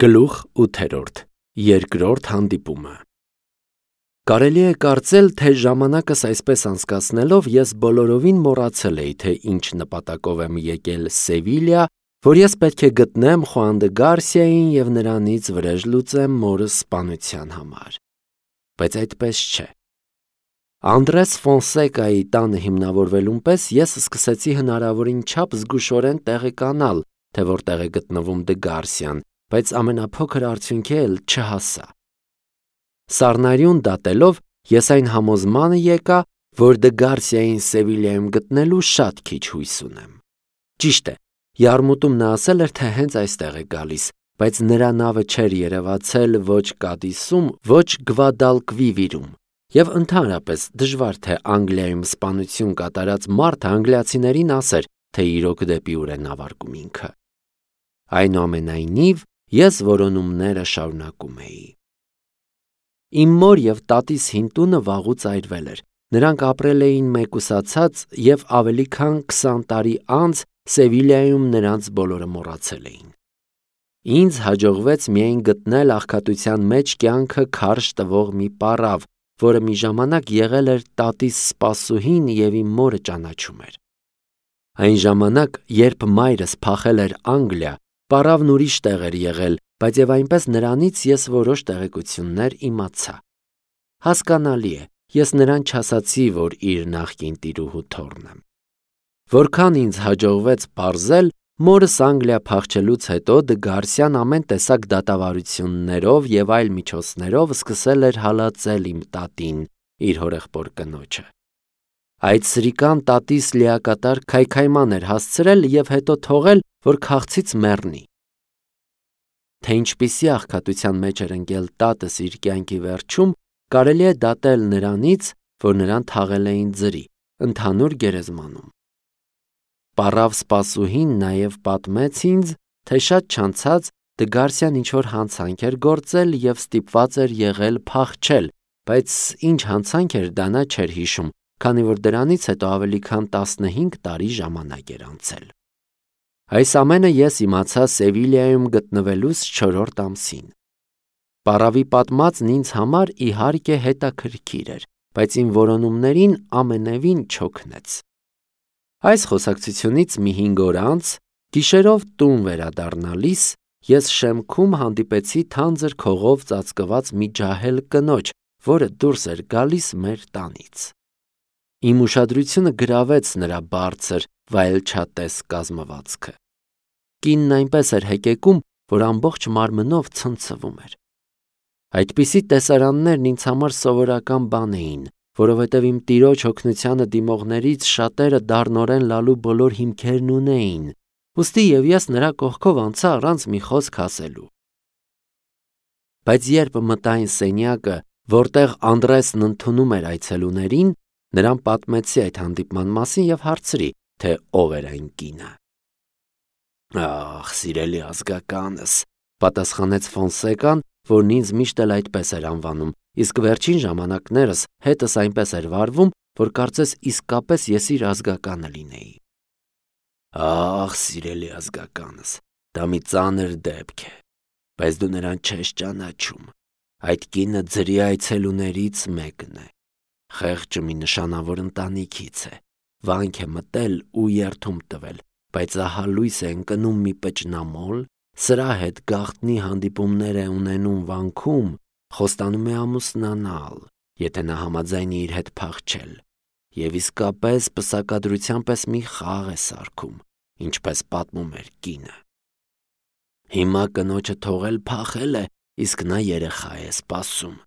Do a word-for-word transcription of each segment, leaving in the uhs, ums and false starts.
Գլուխ ութերորդ. Երկրորդ հանդիպումը։ Կարելի է կարծել, թե ժամանակս այսպես անցկացնելով ես բոլորովին մոռացել էի, թե ինչ նպատակով եմ եկել Սևիլիա, որ ես պետք է գտնեմ Խուան դը Գարսիային և նրանից վրեժ լուծեմ մորս սպանության համար։ Բայց այդպես չէ։ Անդրես Ֆոնսեկայի տանը հիմնավորվելուն պես ես սկսեցի հնարավորին չափ զգուշորեն տեղեկանալ, թե որտեղ է գտնվում դը Գարսիան, բայց ամենափոքր արդյունքի էլ չհասա։ Սառնարյուն դատելով ես այն համոզմանը եկա, որ դը Գարսիային Սևիլիայում գտնելու շատ քիչ հույս ունեմ։ Ճիշտ է, յարմուտում նա ասել էր, թե հենց այստեղ է գալիս, բայց նրա նավը չէր երևացել ոչ Կադիսում, ոչ Գվադալկվիվիրում, և ընդհանրապես դժվար թե Անգլիայում սպանություն կատարած մարդը անգլիացիներին ասեր, թե իրոք դեպի ուր է նավարկում ինքը։ Այնուամենայնիվ, ես որոնումները շարունակում էի։ Իմ մոր և տատիս հին տունը վաղուց այրվել էր։ Նրանք ապրել էին մեկուսացած և ավելի քան քսան տարի անց Սևիլիայում նրանց բոլորը մոռացել էին։ Ինձ հաջողվեց միայն գտնել աղքատության մեջ կյանքը քարշ տվող մի պառավ, որը մի ժամանակ եղել էր տատիս սպասուհին և իմ մորը ճանաչում էր։ Այն ժամանակ, երբ մայրս փախել էր Անգլիա, պառավն ուրիշ տեղ էր եղել, բայց և այնպես նրանից ես որոշ տեղեկություններ իմացա։ Հասկանալի է, ես նրան չասացի, որ իր նախկին տիրուհու թոռն եմ։ Որքան ինձ հաջողվեց պարզել, մորս Անգլիա փախչելուց հետո դը Գարսիան ամեն տեսակ դատավարություններով և այլ միջոցներով սկսել էր հալածել իմ տատին, իր հորեղբոր կնոջը։ Այդ սրիկան տատիս լիակատար քայքայման էր հասցրել և հետո թողել, որ քաղցից մեռնի։ Թե ինչպիսի աղքատության մեջ էր ընկել տատս իր կյանքի վերջում, կարելի է դատել նրանից, որ նրան թաղել էին ձրի, ընդհանուր գերեզմանում։ Պառավ սպասուհին նաև պատմեց ինձ, թե շատ չանցած դը Գարսիան ինչ-որ հանցանք էր գործել և ստիպված էր եղել փախչել, բայց ինչ հանցանք էր դա նա չէր հիշում, քանի որ դրանից հետո ավելի քան տասնհինգ տարի ժամանակ էր անցել։ Այս ամենը ես իմացա Սևիլիայում գտնվելուս չորրորդ ամսին։ Պառավի պատմածն ինձ համար իհարկե հետաքրքիր էր, բայց իմ որոնումներին ամենևին չօգնեց։ Այս խոսակցությունից մի հինգ օր անց, գիշերով տուն վերադառնալիս, ես շեմքում հանդիպեցի թանձր քողով ծածկված մի ջահել կնոջ, որը դուրս էր գալիս մեր տանից։ Իմ ուշադրությունը գրավեց նրա բարձր, վայելչատես կազմվածքը։ Կինն այնպես էր հեկեկում, որ ամբողջ մարմնով ցնցվում էր։ Այդպիսի տեսարաններն ինձ համար սովորական բան էին, որովհետև իմ տիրոջ օգնությանը դիմողներից շատերը դառնորեն լալու բոլոր հիմքերն ունեին, ուստի և ես նրա կողքով անցա առանց մի խոսք ասելու։ Բայց երբ մտա այն սենյակը, որտեղ Անդրեսն ընդունում էր այցելուներին, նրան պատմեցի այդ հանդիպման մասին և հարցրի, թե ով էր այն կինը։ «Ախ, սիրելի ազգականս», պատասխանեց Ֆոնսեկան, որն ինձ միշտ էլ այդպես էր անվանում, իսկ վերջին ժամանակներս հետս այնպես էր վարվում, որ կարծես իսկապես ես իր ազգականը լինեի։ «Ախ, սիրելի ազգականս, դա մի ծանր դեպք է, բայց դու նրան չես ճանաչում։ Այդ կինը ձրի այցելուներից մեկն է։ Խեղճը մի նշանավոր ընտանիքից է, վանք է մտել ու երդում տվել, բայց ահա լույս է ընկնում մի պճնամոլ, սրա հետ գաղտնի հանդիպումներ է ունենում վանքում, խոստանում է ամուսնանալ, եթե նա համաձայնի իր հետ փախչել, և իսկապես պսակադրության պես մի խաղ է սարքում, ինչպես պատմում էր կինը։ Հիմա կնոջը թողել փախել է, իսկ նա երեխա է սպասում։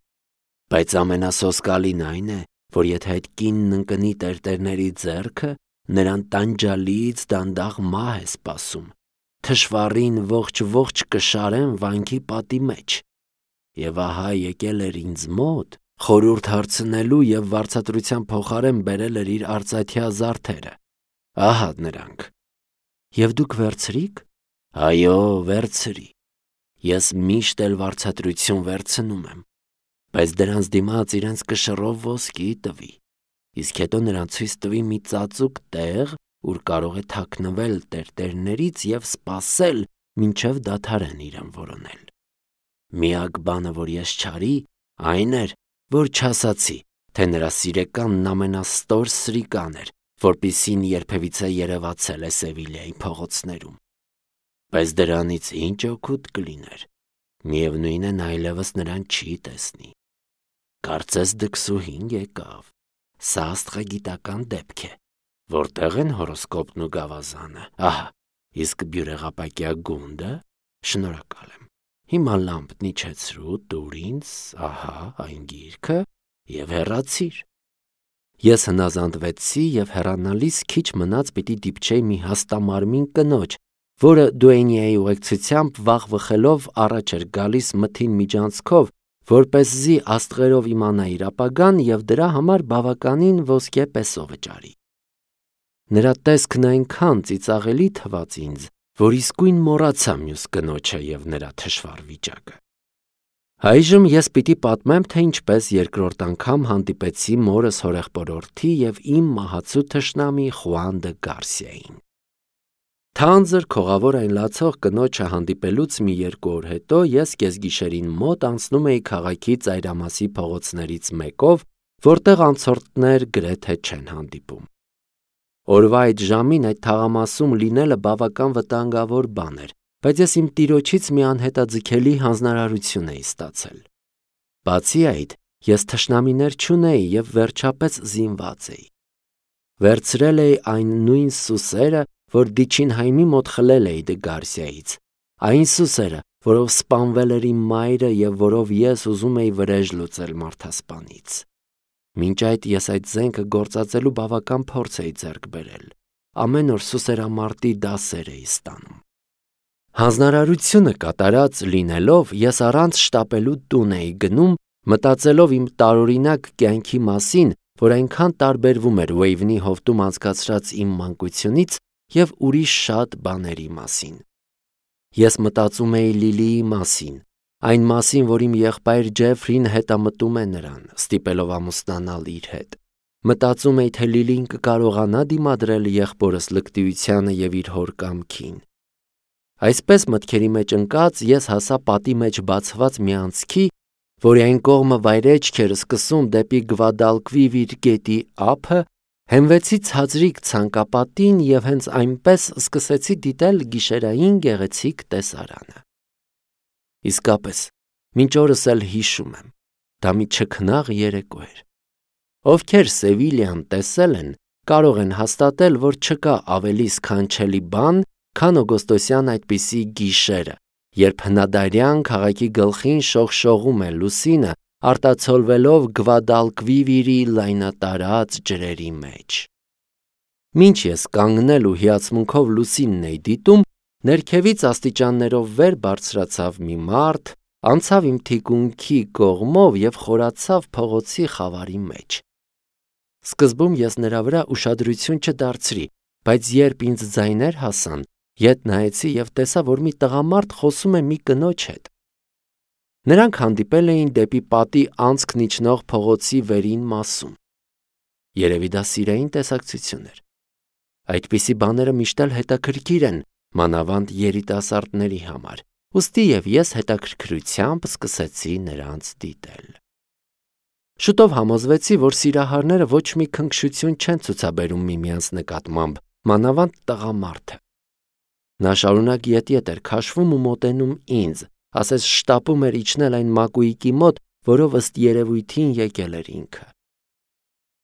Բայց ամենասոսկալին այն է, որ եթե այդ կինն ընկնի տերտերների ձեռքը, նրան տանջալից դանդաղ մահ է սպասում, թշվառին ողջ-ողջ կշարեն վանքի պատի մեջ։ Եվ ահա եկել էր ինձ մոտ խորհուրդ հարցնելու և վարձատրության փոխարեն բերել էր իր արծաթյա զարդերը։ Ահա նրանք։ Եվ դուք վերցրի՞ք։ Այո, վերցրի։ Ես միշտ էլ վարձատրություն վերցնում եմ, բայց դրանց դիմաց իրենց կշռով ոսկի տվի, իսկ հետո նրան ցույց տվի մի ծածուկ տեղ, ուր կարող է թաքնվել տերտերներից և սպասել, մինչև դադարեն իրեն որոնել։ Միակ բանը, որ ես չարի, այն էր, որ չասացի, թե նրա սիրեկանն ամենաստոր սրիկան էր, որպիսին երբևիցե երևացել է Սևիլիայի փողոցներում։ Բայց դրանից ինչ օգուտ կլիներ։ Միևնույն է, նա այլևս նրան չի տեսնի։ Կարծես դքսուհին եկավ։ Սա աստղագիտական դեպք է։ Որտեղ են հորոսկոպն ու գավազանը։ Ահա, իսկ բյուրեղապակյա գունդը։ Շնորհակալ եմ։ Հիմա լամպն իջեցրու, տուր ինձ, ահա, այն գիրքը եւ հեռացիր։ Ես հնազանդվեցի եւ հեռանալիս քիչ մնաց պիտի դիպչեի մի հաստամարմին կնոջ, որը Դուենիայի ուղեկցությամբ վաղ վխելով առաջ էր գալիս մթին միջանցքով, որպեսզի աստղերով իմանա իր ապագան եւ դրա համար բավականին ոսկե պեսո վճարի։ Նրա տեսքն այնքան ծիծաղելի թվաց ինձ, որ իսկույն մոռացա մյուս կնոջը եւ նրա թշվառ վիճակը։ Այժմ ես պիտի պատմեմ, թե ինչպես երկրորդ անգամ հանդիպեցի մորս հորեղբորորդի եւ իմ մահացու թշնամի Խուան դը Գարսիային։ Թանձր քողավոր այն լացող կնոջը հանդիպելուց մի երկու օր հետո ես կեսգիշերին մոտ անցնում էի քաղաքի ծայրամասի փողոցներից մեկով, որտեղ անցորդներ գրեթե չեն հանդիպում։ Օրվա այդ ժամին այդ թաղամասում լինելը բավական վտանգավոր բան էր, բայց ես իմ տիրոջից մի անհետաձգելի հանձնարարություն էի ստացել։ Բացի այդ, ես թշնամիներ չունեի եւ վերջապես զինված էի։ Վերցրել էի այն նույն սուսերը, որ Դիչինհայմի մոտ խլել էի դե Գարսիայից, այն սուսերը, որով սպանվել էր իմ մայրը եւ որով ես ուզում էի վրեժ լուծել մարդասպանից։ Մինչ այդ ես այդ զենքը գործածելու բավական փորձ էի ձեռք բերել։ Ամեն օր սուսերամարտի դասեր էի ստանում։ Հանձնարարությունը կատարած լինելով ես առանց շտապելու տուն էի գնում, մտածելով իմ տարօրինակ կյանքի մասին, որ այնքան տարբերվում էր Վեյվնի հովտում անցկացրած իմ մանկությունից եւ ուրիշ շատ բաների մասին։ Ես մտածում էի Լիլիի մասին, այն մասին, որ իմ եղբայր Ջեֆրին հետամտում է նրան, ստիպելով ամուսնանալ իր հետ։ Մտածում էի, թե Լիլին կկարողանա դիմադրել եղբորս լկտիությանը եւ իր հոր կամքին։ Այսպես մտքերի մեջ ընկած ես հասա պատի մեջ բացված մի անցքի, որի այն կողմը վայրեջք էր սկսում դեպի Գվադալկվիվիր գետի ափը, հենվեցի ցածրիկ ցանկապատին եւ հենց այնպես սկսեցի դիտել գիշերային գեղեցիկ տեսարանը։ Իսկապես, մինչ օրս էլ հիշում եմ, դա մի չքնաղ երեկո էր։ Ովքեր Սևիլիան տեսել են, կարող են հաստատել, որ չկա ավելի սքանչելի բան, քան օգոստոսյան այդպիսի գիշերը, երբ հնադարյան քաղաքի գլխին շողշողում է լուսինը, արտացոլվելով Գվադալկվիվիրի լայնատարած ջրերի մեջ։ Մինչ ես կանգնել ու հիացմունքով լուսինն էի դիտում, ներքևից աստիճաններով վեր բարձրացավ մի մարդ, անցավ իմ թիկունքի կողմով եւ խորացավ փողոցի խավարի մեջ։ Սկզբում ես նրա վրա ուշադրություն չդարձրի, բայց երբ ինձ ձայներ հասան, ետ նայեցի եւ տեսա, որ մի տղամարդ խոսում է մի կնոջ հետ։ Նրանք հանդիպել էին դեպի պատի անցքն իջնող փողոցի վերին մասում։ Երևի դա սիրային տեսակցություն էր։ Այդպիսի բաները միշտ էլ հետաքրքիր են, մանավանդ երիտասարդների համար, ուստի եւ ես հետաքրքրությամբ սկսեցի նրանց դիտել։ Շուտով համոզվեցի, որ սիրահարները ոչ մի քնքշություն չեն ցուցաբերում միմյանց նկատմամբ, մանավանդ տղամարդը։ Նա շարունակ ետ-ետ էր քաշվում ու մոտենում ինձ, ասես շտապում էր իջնել այն մակույկի մոտ, որով ըստ երևույթին եկել էր ինքը։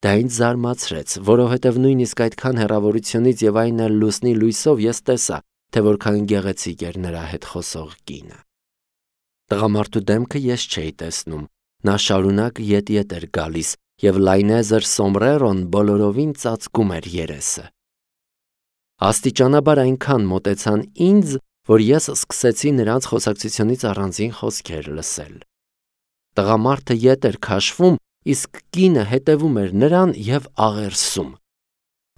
Դա ինձ զարմացրեց, որովհետև նույնիսկ այդքան հեռավորությունից եւ այն էլ լուսնի լույսով ես տեսա, թե որքան գեղեցիկ էր նրա հետ խոսող կինը։ Տղամարդու դեմքը ես չէի տեսնում, նա շարունակ ետ-ետ էր գալիս եւ լայնեզր սոմրերոն բոլորովին ծածկում էր երեսը։ Աստիճանաբար այնքան մոտեցան ինձ, որ ես սկսեցի նրանց խոսակցությունից առանձին խոսքեր լսել։ Տղամարդը ետ էր քաշվում, իսկ կինը հետևում էր նրան եւ աղերսում։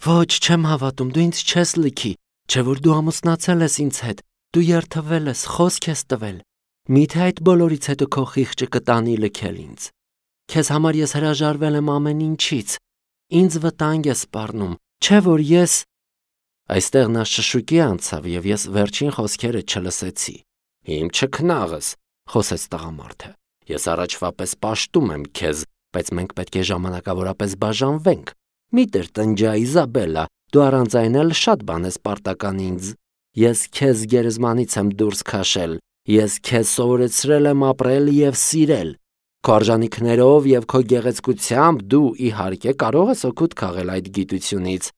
Ոչ, չեմ հավատում, դու ինձ չես լքի, չէ որ դու ամուսնացել ես ինձ հետ, դու երթվել ես, խոսք ես տվել։ Միթե այդ բոլորից հետո քո խիղճը կտանի լքել ինձ։ Քեզ համար ես հրաժարվել եմ ամեն ինչից։ Ինձ վտանգ ես սպառնում, չէ որ ես… Այստեղ նա շշուկի անցավ եւ ես վերջին խոսքերը չլսեցի։ Իմ չքնաղս, խոսեց տղամարդը։ Ես առաջվա պես պաշտում եմ քեզ, բայց մենք պետք է ժամանակավորապես բաժանվենք։ Միտեր տնջա Իզաբելլա, դու առանց այն էլ շատ բան ես պարտական ինձ։ Ես քեզ գերեզմանից եմ դուրս քաշել, ես քեզ սովորեցրել եմ ապրել եւ սիրել։ Քո արժանիքներով եւ քո գեղեցկությամբ դու իհարկե կարող ես օգուտ քաղել այդ գիտությունից։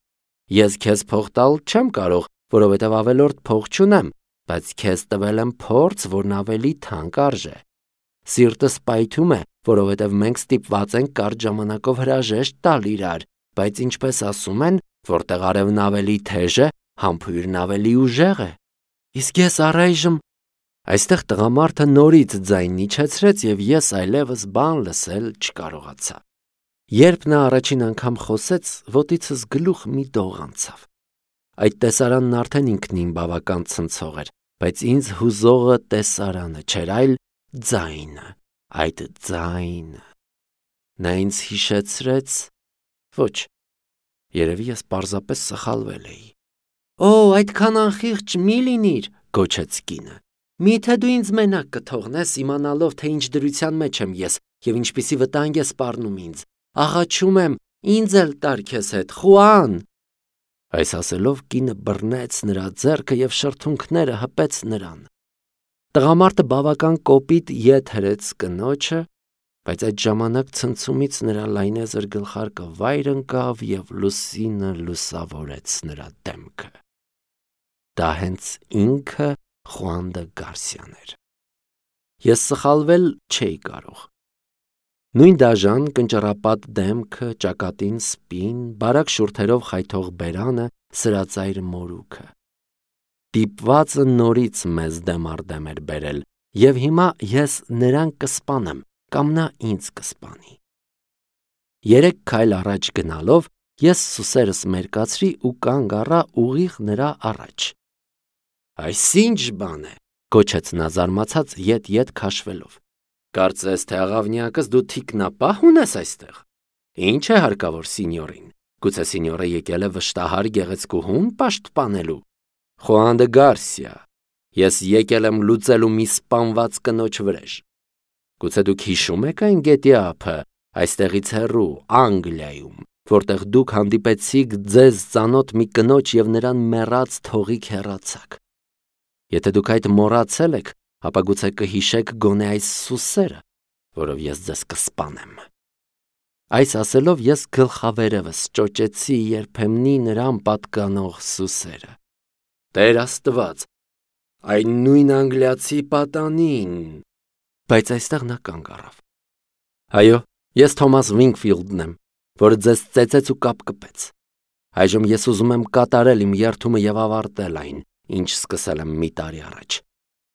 Ես քեզ փող տալ չեմ կարող, որովհետեւ ավելորդ փող չունեմ, բայց քեզ տվել եմ փորձ, որն ավելի թանկ արժե։ Սիրտս պայթում է, որովհետև մենք ստիպված ենք կարճ ժամանակով հրաժեշտ տալ իրար, բայց ինչպես ասում են, որտեղ արևն ավելի թեժ է, համբույրն ավելի ուժեղ է։ Իսկ ես առայժմ… Այստեղ տղամարդը նորից ձայն իջեցրեց և ես այլևս բան լսել չկարողացա։ Երբ նա առաջին անգամ խոսեց, ոտիցս գլուխ մի դող անցավ։ Այդ տեսարանն արդեն ինքնին բավական ցնցող էր, բայց ինձ հուզողը տեսարանը չէր, այլ ձայնը, այդ ձայնը։ Նա ինձ հիշեցրեց… Ոչ, երևի ես պարզապես սխալվել էի։ Օ, այդքան անխիղճ մի լինիր, գոչեց կինը։ Միթե դու ինձ մենակ կթողնես իմանալով, թե ինչ դրության մեջ եմ ես և ինչպիսի վտանգ է սպառնում ինձ։ Աղաչում եմ, ինձ էլ տար քեզ հետ, Խուան։ Այս ասելով կինը բռնեց նրա ձեռքը և շրթունքները հպեց նրան։ Տղամարդը բավական կոպիտ ետ հրեց կնոջը, բայց այդ ժամանակ ցնցումից նրա լայնեզր գլխարկը վայր ընկավ և լուսինը լուսավորեց նրա դեմքը։ Դա հենց ինքը Խուան դը Գարսիան էր։ Ես սխալվել չէի կարող։ Նույն դաժան կնճռապատ դեմքը, ճակատին սպին, բարակ շուրթերով խայթող բերանը, սրածայր մորուքը։ Դիպվածը նորից մեզ դեմ առ դեմ էր բերել, և հիմա ես նրան կսպանեմ, կամ նա ինձ կսպանի։ Երեք քայլ առաջ գնալով, ես սուսերս մերկացրի ու կանգ առա ուղիղ նրա առաջ։ Այս ինչ բան է, գոչեց նա զարմացած ետ-ետ քաշվելով։ Կարծես թե աղավնյակս դու թիկնապահ ունես այստեղ։ Ինչ է հարկավոր սինյորին։ Գուցե սինյորը եկել է վշտահար գեղեցկուհուն պաշտպանելու։ Խուան դը Գարսիա, ես եկել եմ լուծելու մի սպանված կնոջ վրեժ։ Գուցե դուք հիշում եք այն գետի ափը, այստեղից հեռու, Անգլիայում, որտեղ դուք հանդիպեցիք ձեզ ծանոթ մի կնոջ և նրան մեռած թողիք հեռացաք։ Եթե դուք այդ մոռացել եք, ապա գուցե կհիշեք գոնե այս սուսերը, որով ես ձեզ կսպանեմ։ Այս ասելով ես գլխավերևս ճոճեցի երբեմնի նրան պատկանող սուսերը։ Տեր Աստված, այն նույն անգլիացի պատանին։ Բայց այստեղ նա կանգ առավ։ Այո, ես Թոմաս Վինքֆիլդն եմ, որը ձեզ ծեծեց ու կապկպեց։ Այժմ ես ուզում եմ կատարել իմ երդումը և ավարտել այն, ինչ սկսել եմ մի տարի առաջ։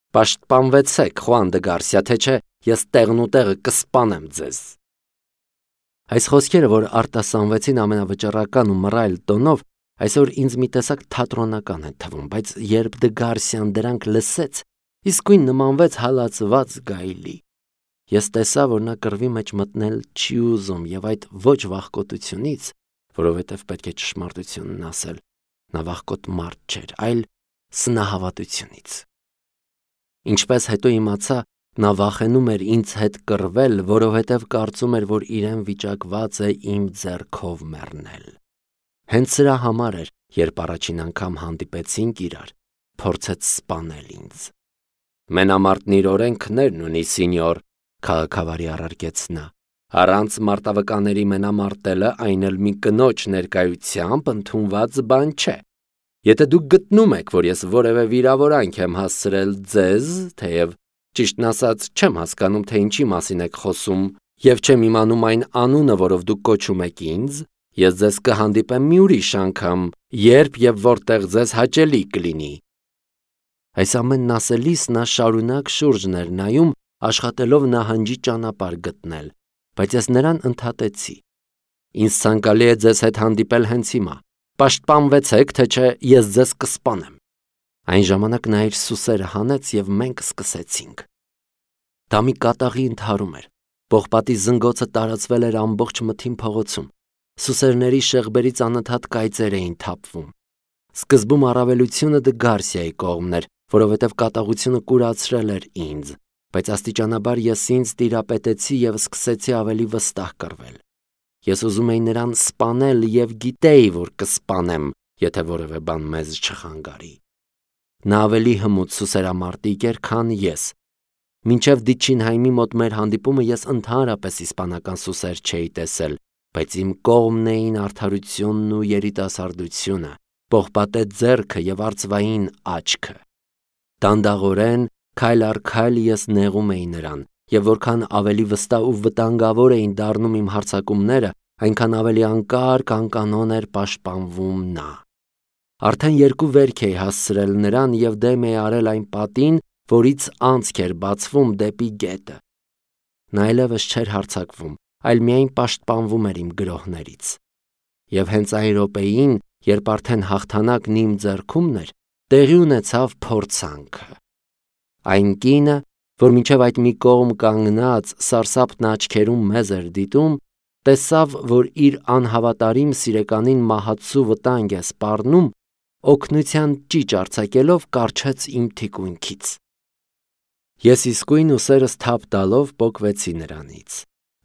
Պաշտպանվեցեք, Խուան դը Գարսիա, թե չէ ես տեղն ու տեղը կսպանեմ ձեզ։ Այս խոսքերը, որ արտասանվեցին ամենավճռական ու մռայլ տոնով, այսօր ինձ մի տեսակ թատրոնական են թվում, բայց երբ դը Գարսիան դրանք լսեց, իսկույն նմանվեց հալածված գայլի։ Ես տեսա, որ նա կռվի մեջ մտնել չի ուզում և այդ ոչ վախկոտությունից, որովհետև պետք է ճշմարտությունն ասել, նա վախկոտ մարդ չէր, այլ սնահավատությունից։ Ինչպես հետո իմացա, նա վախենում էր ինձ հետ կռվել, որովհետև կարծում էր, որ իրեն վիճակված է իմ ձեռքով մեռնել։ Հենց սրա համար էր, երբ առաջին անգամ հանդիպեցինք իրար, փորձեց սպանել ինձ։ Մենամարտն իր օրենքներն ունի, սինյոր, քաղաքավարի առարկեց նա։ Առանց մարտավկանների մենամարտելը այն էլ մի կնոջ ներկայությամբ ընդունված բան չէ։ Եթե դուք գտնում եք, որ ես որևէ վիրավորանք եմ հասցրել ձեզ, թեև ճիշտն ասած չեմ հասկանում, թե ինչի մասին եք խոսում, և չեմ իմանում այն անունը, որով դուք կոչում եք ինձ, ես ձեզ կհանդիպեմ մի ուրիշ անգամ, երբ և որտեղ ձեզ հաճելի կլինի։ Այս ամենն ասելիս նա շարունակ շուրջն էր նայում, աշխատելով նահանջի ճանապարհ գտնել, բայց ես նրան ընդհատեցի։ Ինձ ցանկալի է ձեզ հետ հանդիպել հենց հիմա։ Պաշտպանվեցեք, թե չէ ես ձեզ կսպանեմ։ Այն ժամանակ նա իր սուսերը հանեց և մենք սկսեցինք։ Դա մի կատաղի ընդհարում էր։ Պողպատի զնգոցը տարածվել էր ամբողջ մթին փողոցում։ Սուսերների շեղբերից անընդհատ կայծեր էին թափվում։ Սկզբում առավելությունը դը Գարսիայի կողմն էր, որովհետև կատաղությունը կուրացրել էր ինձ, բայց աստիճանաբար ես ինձ տիրապետեցի և սկսեցի ավելի վստահ կռվել։ Ես ուզում էի նրան սպանել և գիտեի, որ կսպանեմ, եթե որևէ բան մեզ չխանգարի։ Նա ավելի հմուտ սուսերամարտիկ էր, քան ես։ Մինչև Դիչինհայմի մոտ մեր հանդիպումը ես ընդհանրապես իսպանական սուսեր չէի տեսել, բայց իմ կողմն էին արդարությունն ու երիտասարդությունը, պողպատե ձեռքը և արծվային աչքը։ Դանդաղորեն, քայլ առ քայլ ես նեղում էի նրան, և որքան ավելի վստահ ու վտանգավոր էին դառնում իմ հարձակումները, այնքան ավելի անկարգ անկանոն էր պաշտպանվում նա։ Արդեն երկու վերք էի հասցրել նրան և դեմ էի արել այն պատին, որից անցք էր բացվում դեպի գետը։ Նա այլևս չէր հարձակվում, այլ միայն պաշտպանվում էր իմ գրոհներից։ Եվ հենց այն րոպեին, երբ արդեն հաղթանակն իմ ձեռքումն էր, տեղի ունեցավ փորձանքը։ Այն կինը, որ մինչև այդ մի կողմ կանգնած սարսափն աչքերում մեզ էր դիտում, տեսավ, որ իր անհավատարիմ սիրեկանին մահացու վտանգ է սպառնում, օգնության ճիճ արձակելով կառչեց իմ թիկունքից։ Ես իսկույն ուսերս թափ տալով պոկվեցի նրանից,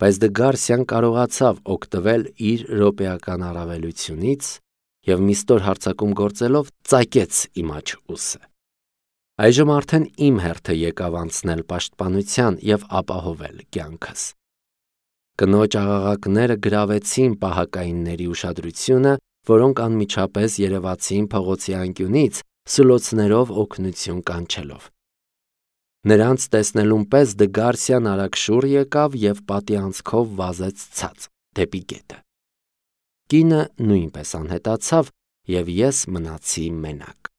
բայց Դգարսիան կարողացավ օգտվել իր րոպեական առավելությունից և մի ստոր հարձակում գործելով ծակեց իմ աջ ուսը։ Այժմ արդեն իմ հերթը եկավ անցնել պաշտպանության և ապահովել կյանքս։ Կնոջ աղաղակները գրավեցին պահակայինների ուշադրությունը, որոնք անմիջապես երևացին փողոցի անկյունից, սուլոցներով օգնություն կանչելով։ Նրանց տեսնելուն պես Դգարսիան արագ շուռ եկավ և պատի անցքով վազեց ցած դեպի գետը։ Կինը նույնպես անհետացավ, և ես մնացի մենակ։